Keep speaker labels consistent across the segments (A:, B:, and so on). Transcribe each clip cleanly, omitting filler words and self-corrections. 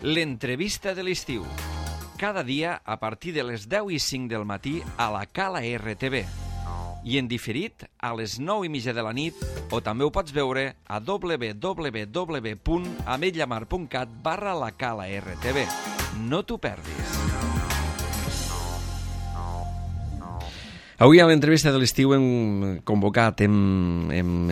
A: L'entrevista de l'estiu. Cada dia a partir de les 10:05 del matí a la Cala RTV. I en diferit a les 9:30 de la nit, o també ho pots veure a www.ametlllamar.cat/la Cala RTV. No t'ho perdis. Avui a l'entrevista de l'estiu hem convocat, hem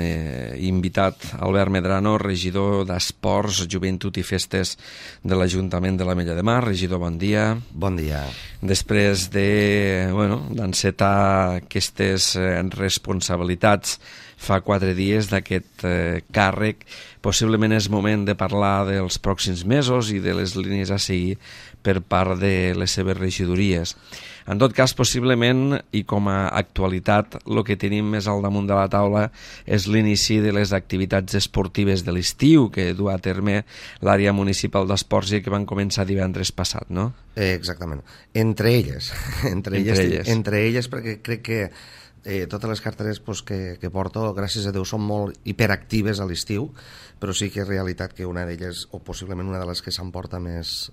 A: invitat Albert Medrano, regidor d'Esports, Joventut i Festes de l'Ajuntament de l'Ametlla de Mar. Regidor, bon dia.
B: Bon dia.
A: Després d'encetar aquestes responsabilitats fa 4 dies d'aquest càrrec, possiblement és moment de parlar dels pròxims mesos i de les línies a seguir per part de les seves regidories. En tot cas, possiblement, i com a actualitat, el que tenim més al damunt de la taula és l'inici de les activitats esportives de l'estiu que du a terme l'àrea municipal d'esports i que van començar divendres passat, no?
B: Exactament. Entre elles, perquè crec que totes les carteres que porto, gràcies a Déu, són molt hiperactives a l'estiu, però sí que és realitat que una d'elles, o possiblement una de les que s'emporta més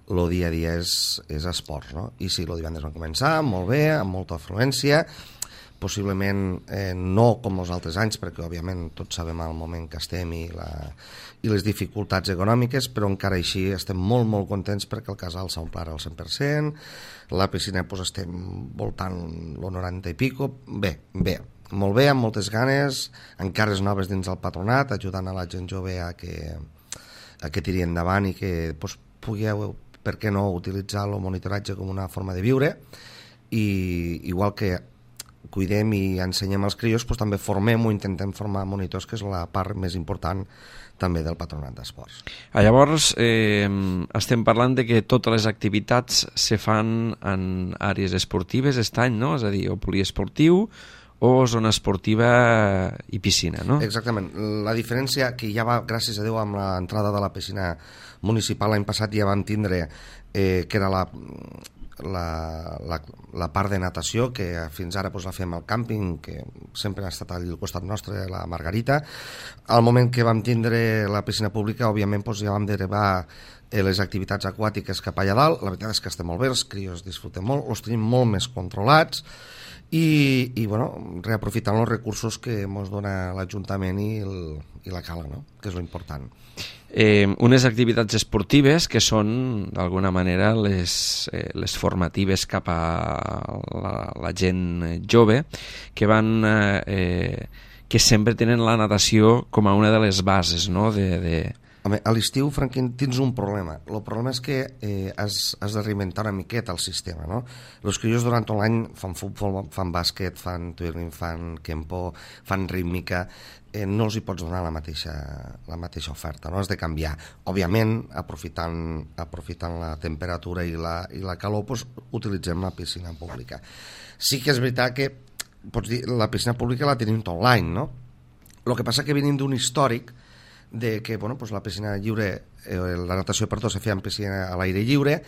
B: el dia a dia, és esports, no? I sí, el divendres van començar molt bé, amb molta afluència, possiblement no com els altres anys, perquè òbviament tots sabem el moment que estem i les dificultats econòmiques, però encara així estem molt, molt contents perquè el casal s'ha omplert al 100%, la piscina estem voltant el 90 i pico, bé, molt bé, amb moltes ganes, encares noves dins del patronat, ajudant a la gent jove a que tiri endavant i que pugueu, per què no, utilitzar el monitoratge com una forma de viure, i igual que cuidem i ensenyem als crios, també formem o intentem formar monitors, que és la part més important també del patronat d'esports.
A: Llavors, estem parlant de que totes les activitats se fan en àrees esportives aquest any, no? És a dir, o poliesportiu o zona esportiva i piscina, no?
B: Exactament. La diferència que ja va, gràcies a Déu, amb l'entrada de la piscina municipal l'any passat ja vam tindre, que era la part de natació, que fins ara la fem al càmping, que sempre ha estat al costat nostre, la Margarita. Al moment que vam tindre la piscina pública, òbviament ja vam derivar les activitats aquàtiques cap allà dalt. La veritat és que estem molt bé, els crios disfruten molt, els tenim molt més controlats i reaprofitant els recursos que ens dona l'Ajuntament i la Cala, no? Que és l'important.
A: Unes activitats esportives que són d'alguna manera les formatives cap a la gent jove que sempre tenen la natació com a una de les bases, no?
B: Home, a l'estiu, Franquín, tens un problema. El problema és que has de reinventar una miqueta el sistema, no? Els crios durant tot l'any fan futbol, fan bàsquet, fan twirling, fan kempo, fan rítmica, no els hi pots donar la mateixa oferta, no? Has de canviar. Òbviament, aprofitant la temperatura i la calor, utilitzem la piscina pública. Sí que és veritat que, pots dir, la piscina pública la tenim tot l'any, no? El que passa que venim d'un històric de que la piscina lliure, la natació se feia en piscina a l'aire lliure,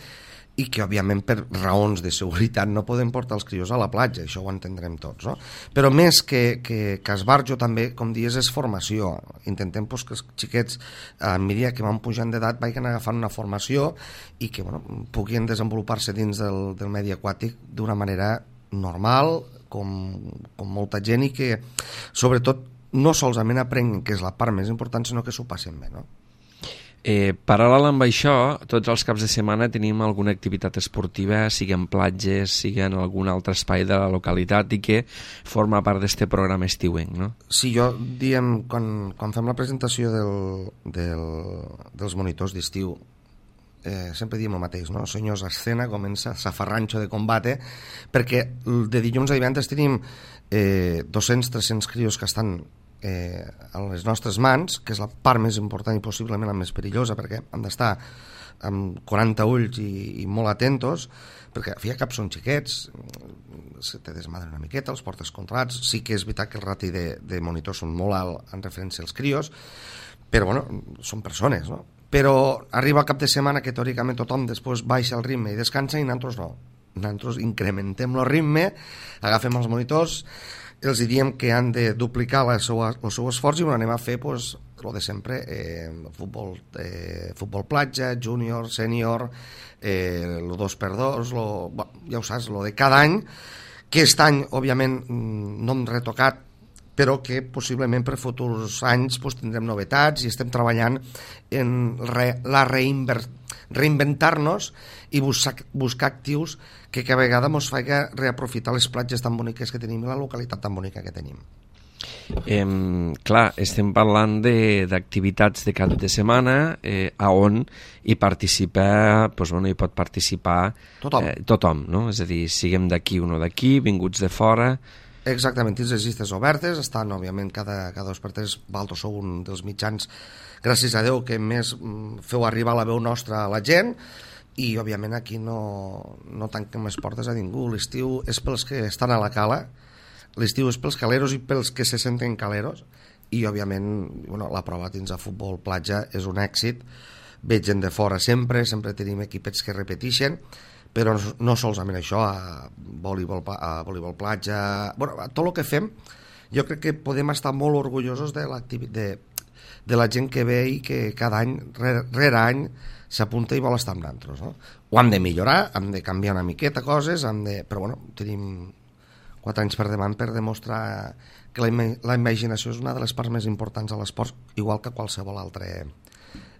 B: i que òbviament per raons de seguretat no podem portar els crios a la platja, això ho entendrem tots, no? Però més que esbarjo també, com dius, és formació. Intentem que els xiquets a mesura que van pujant d'edat vagin agafant una formació i que puguin desenvolupar-se dins del medi aquàtic d'una manera normal, com molta gent, i que sobretot no solament aprenguin, que és la part més important, sinó que s'ho passen bé, no?
A: Paral·lel amb això, tots els caps de setmana tenim alguna activitat esportiva, sigui en platges, sigui en algun altre espai de la localitat, i que forma part d'aquest programa estiuenc, no?
B: Sí, quan fem la presentació dels monitors d'estiu, sempre diem el mateix, no? Senyors, escena, comença safarranxo de combate, perquè de dilluns a divendres tenim 200-300 crios que estan a les nostres mans, que és la part més important i possiblement la més perillosa, perquè hem d'estar amb 40 ulls i molt atentos, perquè al fi i al cap són xiquets, se te desmadren una miqueta, els portes controlats. Sí que és veritat que el rati de monitors són molt alt en referència als crios, però són persones, no? Però arriba el cap de setmana que teòricament tothom després baixa el ritme i descansa, i nosaltres no. Nosaltres incrementem el ritme, agafem els monitors, els diem que han de duplicar el seu esforç i ho anem a fer lo de sempre, futbol platja, júnior, sènior, lo 2x2, ja ho saps, lo de cada any, que aquest any, òbviament, no hem retocat, però que possiblement per futurs anys tindrem novetats i estem treballant en reinventar-nos i buscar actius que cada vegada ens faci reaprofitar les platges tan boniques que tenim i la localitat tan bonica que tenim.
A: Clar, estem parlant d'activitats de cap de setmana on hi participa, hi pot participar tothom, no? És a dir, siguem d'aquí o no d'aquí, vinguts de fora.
B: Exactament, dins les llistes obertes estan, òbviament, cada 2x3. Vosaltres sou un dels mitjans, gràcies a Déu, que més feu arribar la veu nostra a la gent, i òbviament aquí no tanquem les portes a ningú. L'estiu és pels que estan a la cala, l'estiu és pels caleros i pels que se senten caleros, i òbviament la prova dins de futbol platja és un èxit. Ve gent de fora sempre tenim equipets que repeteixen, però no solament això, a voleibol platja, a tot el que fem. Jo crec que podem estar molt orgullosos de la gent que ve i que cada any, rere any, s'apunta i vol estar amb nosaltres, no? Ho hem de millorar, hem de canviar una miqueta coses, però tenim 4 anys per davant per demostrar que la imaginació és una de les parts més importants de l'esport, igual que qualsevol altre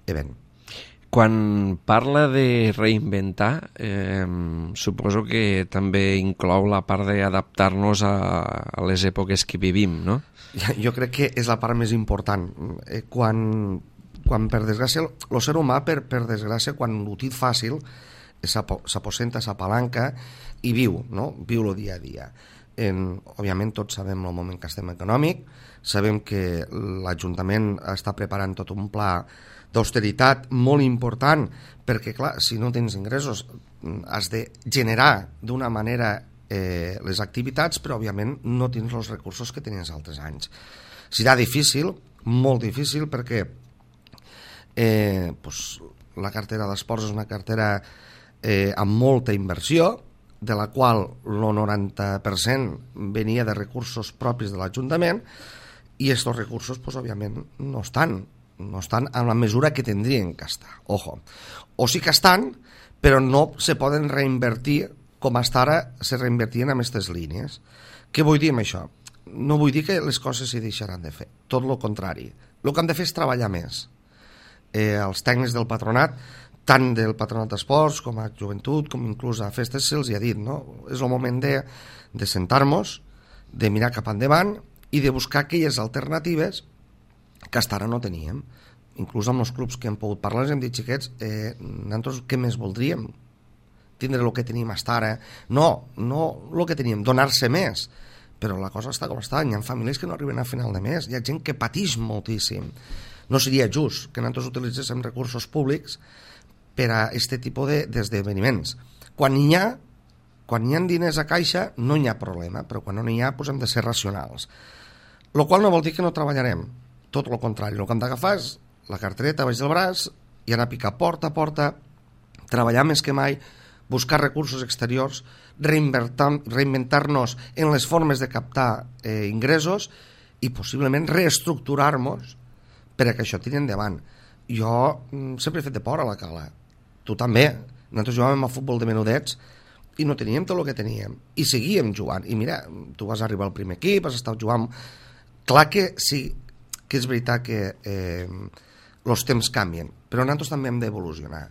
B: event.
A: Quan parla de reinventar, suposo que també inclou la part d'adaptar-nos a les èpoques que vivim, no?
B: Jo crec que és la part més important. Quan per desgràcia, el ser humà, per desgràcia, quan ho té fàcil, s'aposenta, s'apalanca i viu, no? Viu el dia a dia. Òbviament tots sabem el moment que estem econòmic, sabem que l'Ajuntament està preparant tot un pla d'austeritat molt important, perquè clar, si no tens ingressos has de generar d'una manera les activitats, però òbviament no tens els recursos que tenies altres anys. Serà difícil, molt difícil, perquè la cartera d'esports és una cartera amb molta inversió, de la qual el 90% venia de recursos propis de l'Ajuntament, i aquests recursos, òbviament, no estan en la mesura que tindrien que estar. Ojo. O sí que estan, però no se poden reinvertir com fins ara se reinvertien en aquestes línies. Què vull dir amb això? No vull dir que les coses s'hi deixaran de fer, tot el contrari. El que hem de fer és treballar més. Els tècnics del patronat, tant del patronat d'esports com a joventut, com inclús a festes, se'ls ha dit, no? És el moment de sentar-nos, de mirar cap endavant i de buscar aquelles alternatives que fins ara no teníem. Inclús amb els clubs que hem pogut parlar ens hem dit, xiquets, nosaltres què més voldríem? Tindre el que tenim fins ara? No el que teníem, donar-se més. Però la cosa està com està, hi ha famílies que no arriben a final de mes, hi ha gent que pateix moltíssim. No seria just que nosaltres utilitzéssim recursos públics per a aquest tipus d'esdeveniments. Quan hi ha diners a caixa no hi ha problema, però quan no n'hi ha hem de ser racionals. El qual no vol dir que no treballarem, tot el contrari. El que hem d'agafar és la cartereta baix del braç i anar a picar porta a porta, treballar més que mai, buscar recursos exteriors, reinventar-nos en les formes de captar ingressos i possiblement reestructurar-nos per a que això tiri endavant. Jo sempre he fet de por a la cala. Tu també. Nosaltres jugàvem a futbol de menudets i no teníem tot el que teníem. I seguíem jugant. I mira, tu vas arribar al primer equip, has estat jugant... Clar que sí, que és veritat que els temps canvien, però nosaltres també hem d'evolucionar.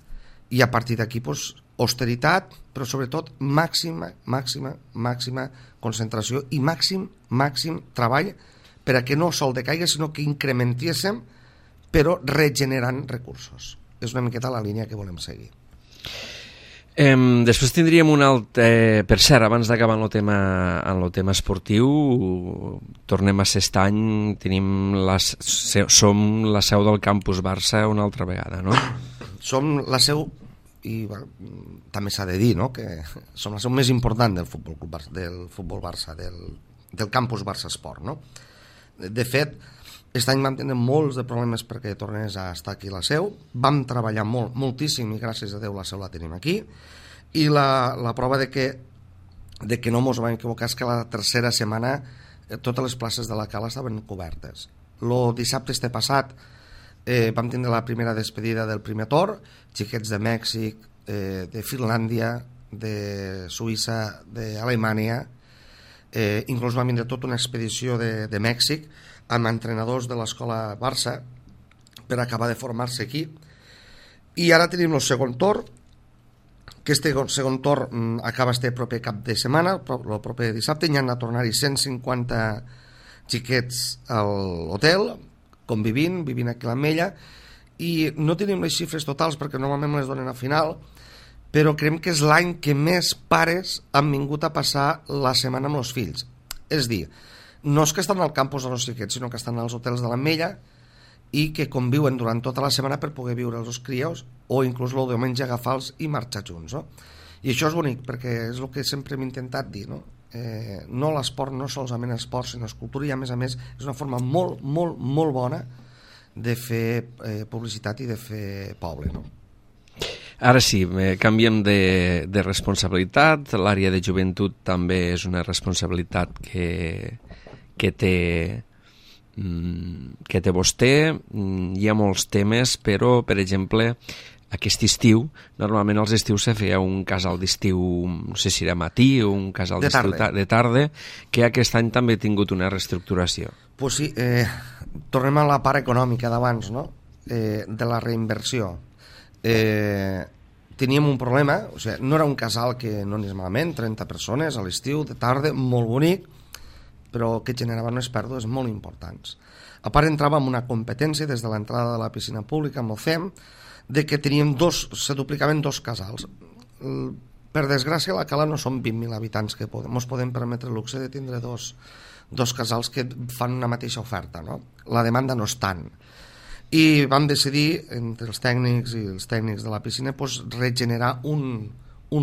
B: I a partir d'aquí, austeritat, però sobretot màxima concentració i màxim treball per a que no sol decaiga, sinó que incrementéssim, però regenerant recursos. És una miqueta la línia que volem seguir.
A: Després tindríem un altre... Per cert, abans d'acabar en el tema esportiu, tornem a ser aquest any, som la seu del Campus Barça una altra vegada, no?
B: Som la seu, i també s'ha de dir, no?, que som la seu més important del futbol Barça, del Campus Barça Esport, no? De fet, aquest any vam tenir molts de problemes perquè tornés a estar aquí la seu, vam treballar moltíssim i gràcies a Déu la seu la tenim aquí, i la prova de que no ens vam equivocar és que la tercera setmana totes les places de la cala estaven cobertes. El dissabte passat vam tindre la primera despedida del primer torn, xiquets de Mèxic, de Finlàndia, de Suïssa, d'Alemanya, inclús vam vindre tota una expedició de Mèxic amb entrenadors de l'escola Barça per acabar de formar-se aquí. I ara tenim el segon torn, que este segon torn acaba este proper cap de setmana, el proper dissabte, hi han de tornar-hi 150 xiquets a l'hotel, convivint, vivint aquí a l'Ametlla, i no tenim les xifres totals perquè normalment les donen a final, però creiem que és l'any que més pares han vingut a passar la setmana amb els fills. És dir, no és que estan al campus de los xiquets, sinó que estan als hotels de l'Ametlla i que conviuen durant tota la setmana per poder viure els crios o inclús el diumenge agafar-los i marxar junts, no? I això és bonic perquè és el que sempre hem intentat dir, no? No l'esport no solament esport sinó escultura, i a més és una forma molt, molt, molt bona de fer publicitat i de fer poble, no?
A: Ara sí, canviem de responsabilitat. L'àrea de joventut també és una responsabilitat que té vostè. Hi ha molts temes, però, per exemple, aquest estiu, normalment als estius se feia un casal d'estiu, no sé si era matí o un casal d'estiu de tarda, que aquest any també ha tingut una reestructuració.
B: Pues sí, tornem a la part econòmica d'abans, no? De la reinversió. Teníem un problema, o sigui, no era un casal que no anés malament, 30 persones a l'estiu, de tarda, molt bonic, però que generava unes pèrdues molt importants. A part, entrava en una competència des de l'entrada de la piscina pública amb el CEM, de que teníem se duplicaven dos casals. Per desgràcia, a la Cala no som 20.000 habitants que ens podem permetre el luxe de tindre dos casals que fan una mateixa oferta, no? La demanda no és tant. I vam decidir, entre els tècnics i els tècnics de la piscina, pues, regenerar un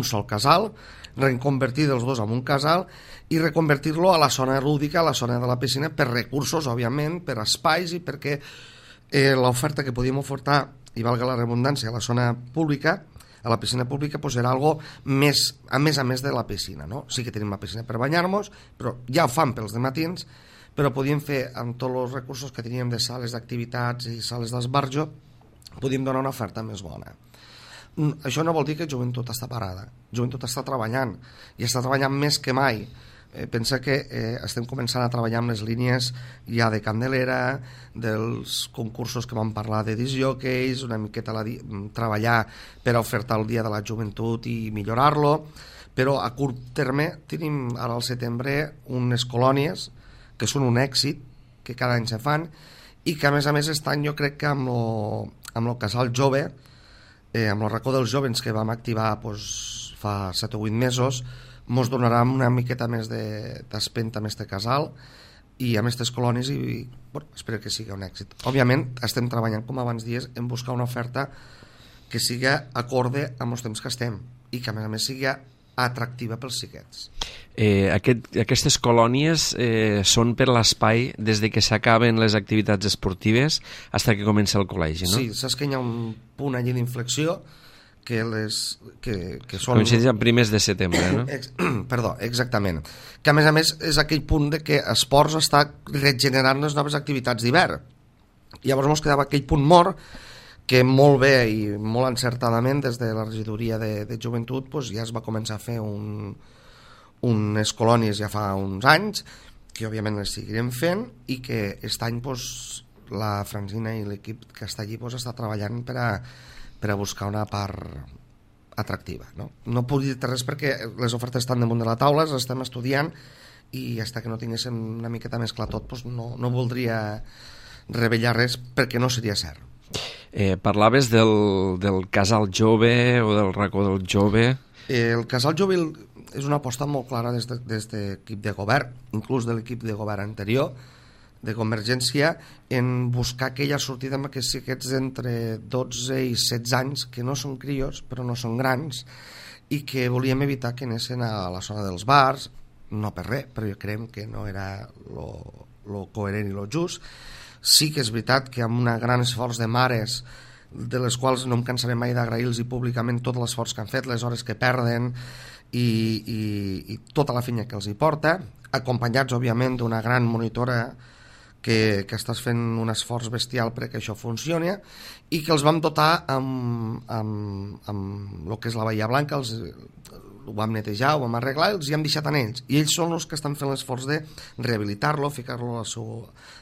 B: sol casal, reconvertir els dos en un casal i reconvertir-lo a la zona lúdica, a la zona de la piscina, per recursos, òbviament, per espais i perquè l'oferta que podíem ofertar, i valga la redundància, a la zona pública, a la piscina pública, pues era algo més, a més de la piscina, no? Sí que tenim la piscina per banyar-nos, però ja ho fan pels dematins, però podíem fer amb tots els recursos que teníem de sales d'activitats i sales d'esbarjo, podíem donar una oferta més bona. Això no vol dir que Joventut està parada. Joventut està treballant, i està treballant més que mai. Pensa que estem començant a treballar amb les línies ja de Candelera, dels concursos que vam parlar de discjòqueis, una miqueta treballar per ofertar el dia de la joventut i millorar-lo, però a curt terme tenim ara al setembre unes colònies que són un èxit, que cada any se fan, i que a més aquest any jo crec que amb el casal jove, amb el racó dels jovens que vam activar fa 7 o 8 mesos, ens donarà una miqueta més d'espenta amb este casal i amb aquestes colònies, i bueno, espero que sigui un èxit. Òbviament estem treballant, com abans dies, en buscar una oferta que sigui acorde amb els temps que estem i que a més sigui atractiva pels xiquets.
A: Aquestes colònies són per l'espai des de que s'acaben les activitats esportives fins que comença el col·legi, no?
B: Sí, saps que hi ha un punt allí d'inflexió que són...
A: Coincideix amb primers de setembre, no?
B: Perdó, exactament. Que a més és aquell punt de que esports està regenerant les noves activitats d'hivern. Llavors ens quedava aquell punt mort que molt bé i molt encertadament des de la regidoria de joventut ja es va començar a fer unes colònies ja fa uns anys, que òbviament les seguirem fent, i que aquest any la Francina i l'equip que està allí està treballant per a buscar una part atractiva, no? No puc dir-te res perquè les ofertes estan damunt de la taula, les estem estudiant, i fins que no tinguéssim una miqueta més clar tot no voldria revelar res perquè no seria cert.
A: Parlaves del casal jove o del racó del jove.
B: El casal jove és una aposta molt clara des de l'equip de govern, inclús de l'equip de govern anterior, de Convergència, en buscar aquella sortida amb aquests xiquets d'entre 12 i 16 anys, que no són crios, però no són grans, i que volíem evitar que anessin a la zona dels bars, no per res, però jo creiem que no era lo coherent i lo just. Sí que és veritat que amb un gran esforç de mares, de les quals no em cansaré mai d'agrair-los públicament tot l'esforç que han fet, les hores que perden i tota la feina que els hi porta, acompanyats òbviament d'una gran monitora que estàs fent un esforç bestial perquè això funcioni, i que els vam dotar amb el que és la Bahia Blanca, ho vam netejar, ho vam arreglar, els hi hem deixat en ells, i ells són els que estan fent l'esforç de rehabilitar-lo, ficar-lo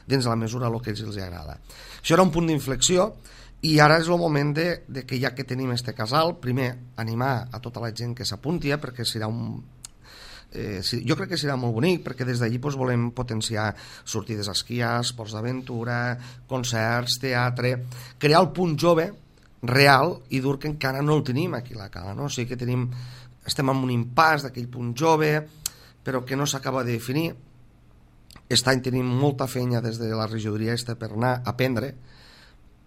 B: dins de la mesura el que a ells els agrada. Això era un punt d'inflexió, i ara és el moment de que ja que tenim este casal, primer animar a tota la gent que s'apunti, perquè serà jo crec que serà molt bonic, perquè des d'allí volem potenciar sortides a esquiar, esports d'aventura, concerts, teatre, crear el punt jove real i dur, que encara no el tenim aquí a la Cala, no? O sigui que estem en un impàs d'aquell punt jove, però que no s'acaba de definir. Aquest any tenim molta feina des de la regidoria per anar a aprendre,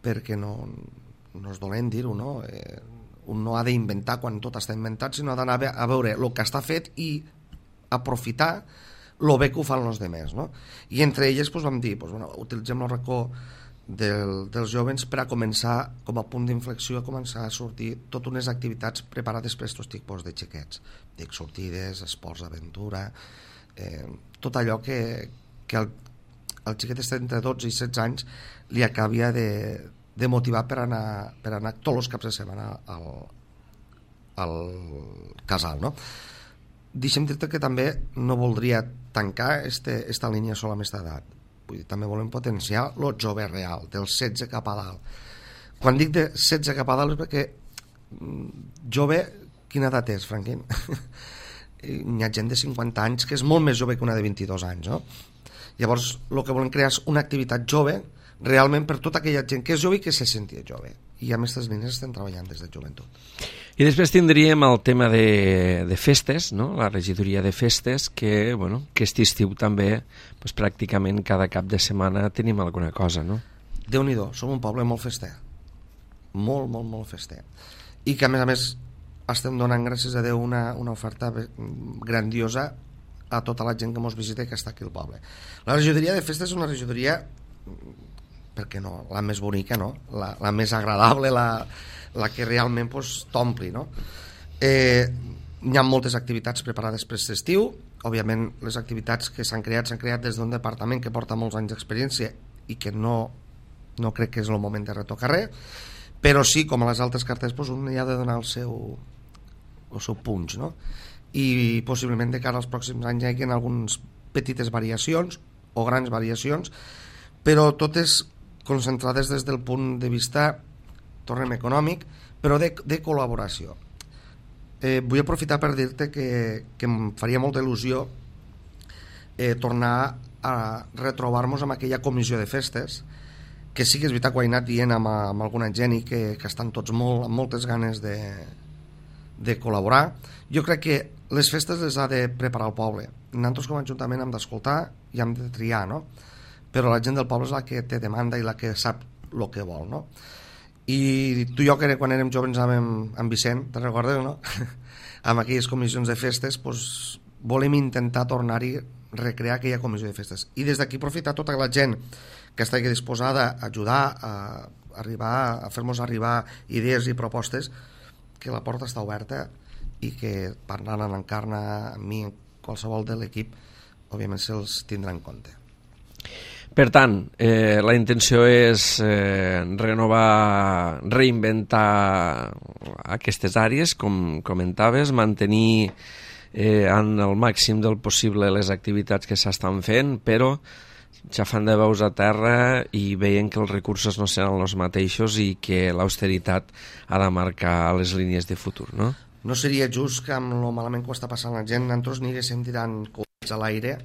B: perquè no és dolent dir-ho, no? Un no ha d'inventar quan tot està inventat, sinó ha d'anar a veure el que està fet i aprofitar el bé que ho fan els demés, no? I entre elles vam dir, utilitzem el racó dels jovens per a començar, com a punt d'inflexió, a començar a sortir totes unes activitats preparades per aquests tipus de xiquets, dic, sortides, esports d'aventura, tot allò que el xiquet està entre 12 i 16 anys li acabia de motivar per anar tots els caps de setmana al casal, no? Deixa'm dir-te que també no voldria tancar esta línia sola amb aquesta edat. Vull dir, també volem potenciar el jove real, dels 16 cap a dalt. Quan dic de 16 cap a dalt és perquè jove, quina edat és, Franquín? Hi ha gent de 50 anys que és molt més jove que una de 22 anys, no? Llavors, el que volem crear és una activitat jove realment per tota aquella gent que és jove i que se sentia jove. I amb aquestes línies estem treballant des de joventut.
A: I després tindríem el tema de festes, no? La regidoria de festes, que aquest estiu també, pràcticament cada cap de setmana tenim alguna cosa, no?
B: Déu-n'hi-do, som un poble molt fester, molt, molt, molt fester, i que a més estem donant, gràcies a Déu, una oferta grandiosa a tota la gent que ens visita i que està aquí al poble. La regidoria de festes és una regidoria, per què no, la més bonica, no? La més agradable, la que realment t'ompli, no? Hi ha moltes activitats preparades per aquest estiu. Òbviament les activitats que s'han creat des d'un departament que porta molts anys d'experiència i que no crec que és el moment de retocar res, però sí, com a les altres cartes, un hi ha de donar el seu punx, no? I possiblement de cara als pròxims anys hi hagi algunes petites variacions o grans variacions, però totes concentrades des del punt de vista, tornem, econòmic, però de col·laboració. Vull aprofitar per dir-te que em faria molta il·lusió tornar a retrobar-nos amb aquella comissió de festes, que sí que és veritat que ho he anat dient amb alguna gent i que estan tots amb moltes ganes de col·laborar. Jo crec que les festes les ha de preparar el poble. Nosaltres com a Ajuntament hem d'escoltar i hem de triar, no? Però la gent del poble és la que té demanda i la que sap el que vol, no? I tu i jo, que quan érem joves amb Vicent, te'n recordes, no? Amb aquelles comissions de festes, volem intentar tornar-hi, recrear aquella comissió de festes. I des d'aquí aprofitar tota la gent que estigui disposada a ajudar a fer-nos arribar idees i propostes, que la porta està oberta i que parlant amb l'Encarna, amb mi, qualsevol de l'equip, òbviament se'ls tindrà en compte.
A: Per tant, la intenció és renovar, reinventar aquestes àrees, com comentaves, mantenir en el màxim del possible les activitats que s'estan fent, però xafant de veus a terra i veient que els recursos no seran els mateixos i que l'austeritat ha de marcar les línies de futur, no?
B: No seria just que amb el malament que ho està passant la gent nosaltres aniríssim tirant coets a l'aire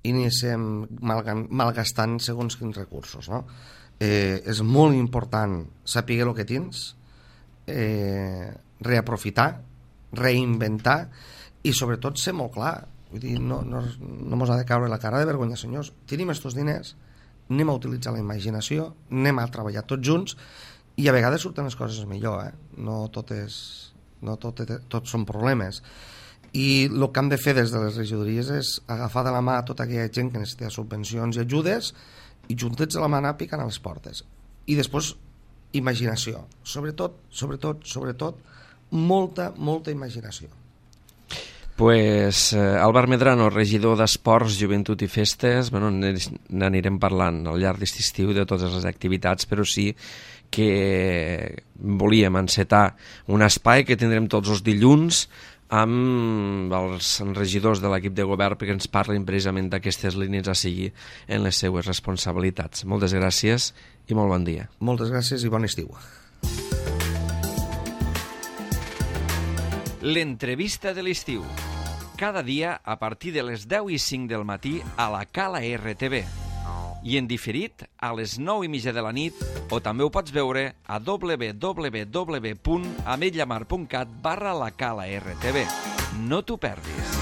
B: i aniríssim malgastant segons quins recursos, no? És molt important saber el que tens, reaprofitar, reinventar i sobretot ser molt clar. Vull dir, no mos ha de caure la cara de vergonya, senyors. Tenim estos diners, anem a utilitzar la imaginació, anem a treballar tots junts i a vegades surten les coses millor, no tot són problemes. I el que hem de fer des de les regidories és agafar de la mà tota aquella gent que necessita subvencions i ajudes i juntets de la mà anar picant a les portes. I després imaginació, sobretot molta imaginació.
A: Pues Albert Medrano, regidor d'Esports, Joventut i Festes, bueno, n'anirem parlant al llarg d'aquest estiu de totes les activitats, però sí que volíem encetar un espai que tindrem tots els dilluns amb els regidors de l'equip de govern perquè ens parlin precisament d'aquestes línies a seguir en les seues responsabilitats. Moltes gràcies i molt bon dia.
B: Moltes gràcies i bon estiu.
A: L'entrevista de l'estiu. Cada dia a partir de les 10:05 del matí a la Cala RTV. I en diferit a les 9:30 de la nit, o també ho pots veure a www.ametlllamar.cat/la Cala RTV. No t'ho perdis.